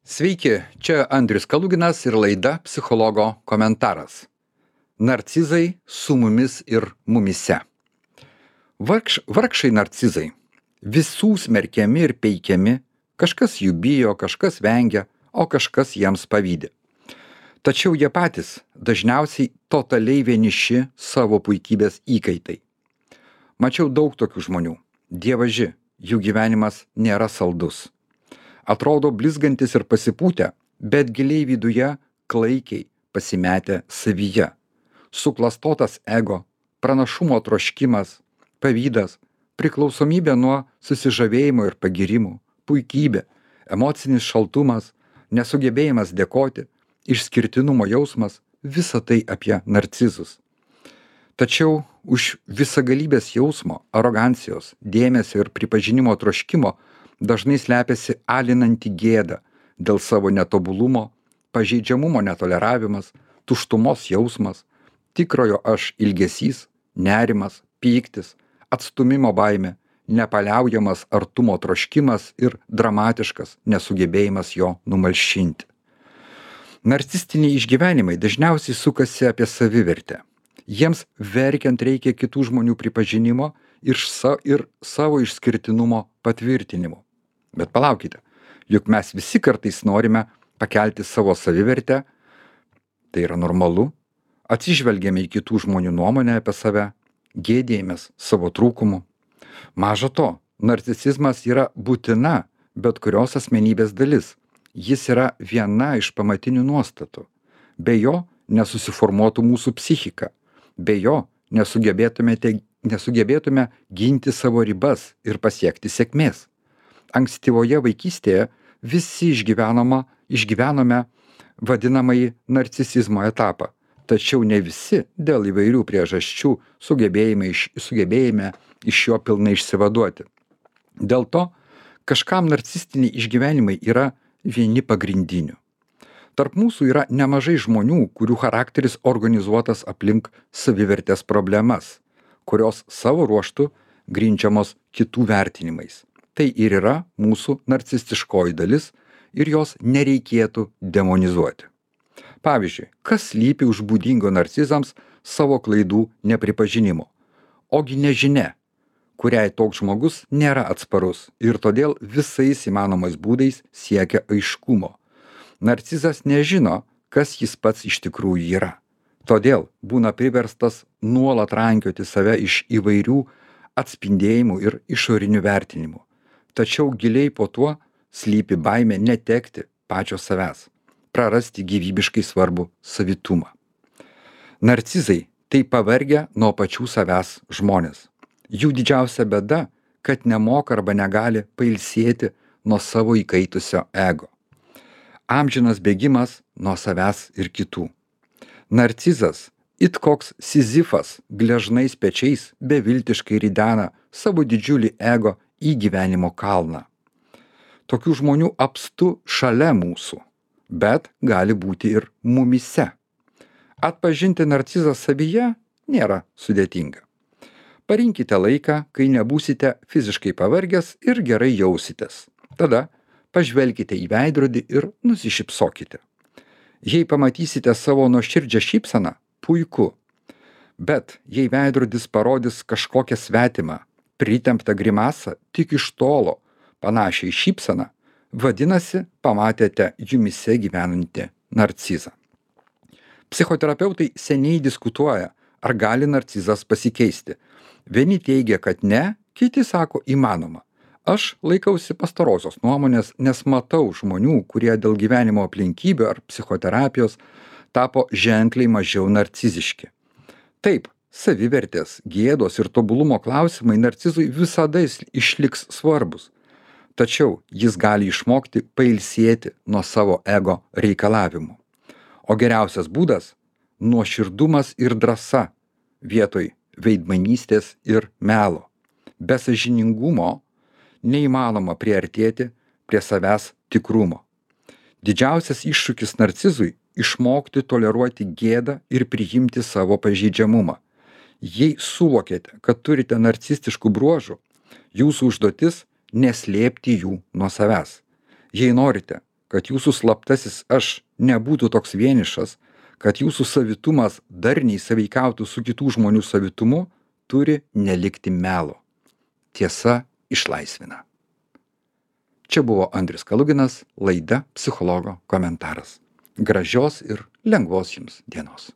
Sveiki, čia Andrius Kaluginas ir laida Psichologo komentaras. Narcizai su mumis ir mumyse. Vargšai narcizai. Visų smerkiami ir peikiami, kažkas jų bijo, kažkas vengia, o kažkas jiems pavydi. Tačiau jie patys dažniausiai totaliai vieniši savo puikybės įkaitai. Mačiau daug tokių žmonių. Dievaži, jų gyvenimas nėra saldus. Atrodo blizgantis ir pasipūtę, bet giliai viduje klaikiai pasimetę savyje. Suklastotas ego, pranašumo troškimas, pavydas, priklausomybė nuo susižavėjimo ir pagyrimų, puikybė, emocinis šaltumas, nesugebėjimas dėkoti, išskirtinumo jausmas – visa tai apie narcizus. Tačiau už visagalybės jausmo, arogancijos, dėmesio ir pripažinimo troškimo dažnai slepiasi alinanti gėda dėl savo netobulumo, pažeidžiamumo netoleravimas, tuštumos jausmas, tikrojo aš ilgesys, nerimas, pyktis, atstūmimo baimė, nepaliaujamas artumo troškimas ir dramatiškas nesugebėjimas jo numalšinti. Narcistiniai išgyvenimai dažniausiai sukasi apie savivertę. Jiems verkiant reikia kitų žmonių pripažinimo ir savo išskirtinumo patvirtinimo. Bet palaukite, juk mes visi kartais norime pakelti savo savivertę, tai yra normalu, atsižvelgiame į kitų žmonių nuomonę apie save, gėdėjamės savo trūkumų. Maža to, narcisizmas yra būtina bet kurios asmenybės dalis. Jis yra viena iš pamatinių nuostatų. Be jo nesusiformuotų mūsų psichika. Be jo nesugebėtume ginti savo ribas ir pasiekti sėkmės. Ankstyvoje vaikystėje visi išgyvenome vadinamąjį narcisizmo etapą, tačiau ne visi dėl įvairių priežasčių sugebėjome iš jo pilnai išsivaduoti. Dėl to kažkam narcistiniai išgyvenimai yra vieni pagrindinių. Tarp mūsų yra nemažai žmonių, kurių charakteris organizuotas aplink savivertės problemas, kurios savo ruožtu grindžiamos kitų vertinimais. Tai ir yra mūsų narcistiškoji dalis ir jos nereikėtų demonizuoti. Pavyzdžiui, kas slypi už būdingo narcizams savo klaidų nepripažinimo? Ogi nežinia, kuriai toks žmogus nėra atsparus ir todėl visais įmanomais būdais siekia aiškumo. Narcizas nežino, kas jis pats iš tikrųjų yra. Todėl būna priverstas nuolat rankioti save iš įvairių atspindėjimų ir išorinių vertinimų. Tačiau giliai po tuo slypi baimė netekti pačio savęs, prarasti gyvybiškai svarbų savitumą. Narcizai tai pavargę nuo pačių savęs žmonės. Jų didžiausia bėda, kad nemoka arba negali pailsėti nuo savo įkaitusio ego. Amžinas bėgimas nuo savęs ir kitų. Narcizas, it koks Sizifas, gležnais pečiais beviltiškai ridena savo didžiulį ego į gyvenimo kalną. Tokių žmonių apstu šalia mūsų, bet gali būti ir mumyse. Atpažinti narcizą savyje nėra sudėtinga. Parinkite laiką, kai nebūsite fiziškai pavargęs ir gerai jausitės. Tada pažvelkite į veidrodį ir nusišypsokite. Jei pamatysite savo nuoširdžią šypseną, puiku. Bet jei veidrodis parodys kažkokią svetimą, pritemptą grimasą tik iš tolo, panašiai šypseną, vadinasi, pamatėte jumyse gyvenantį narcizą. Psichoterapeutai seniai diskutuoja, ar gali narcizas pasikeisti. Vieni teigia, kad ne, kiti sako įmanoma. Aš laikausi pastarosios nuomonės, nes matau žmonių, kurie dėl gyvenimo aplinkybių ar psichoterapijos tapo ženkliai mažiau narciziški. Taip, savivertės, gėdos ir tobulumo klausimai narcizui visada išliks svarbus. Tačiau jis gali išmokti pailsėti nuo savo ego reikalavimų. O geriausias būdas – nuoširdumas ir drąsa vietoj veidmainystės ir melo. Be sąžiningumo neįmanoma priartėti prie savęs tikrumo. Didžiausias iššūkis narcizui – išmokti toleruoti gėdą ir priimti savo pažeidžiamumą. Jei suvokėte, kad turite narcistiškų bruožų, jūsų užduotis neslėpti jų nuo savęs. Jei norite, kad jūsų slaptasis aš nebūtų toks vienišas, kad jūsų savitumas darniai sąveikautų su kitų žmonių savitumu, turi nelikti melo. Tiesa išlaisvina. Čia buvo Andrius Kaluginas, laida Psichologo komentaras. Gražios ir lengvos jums dienos.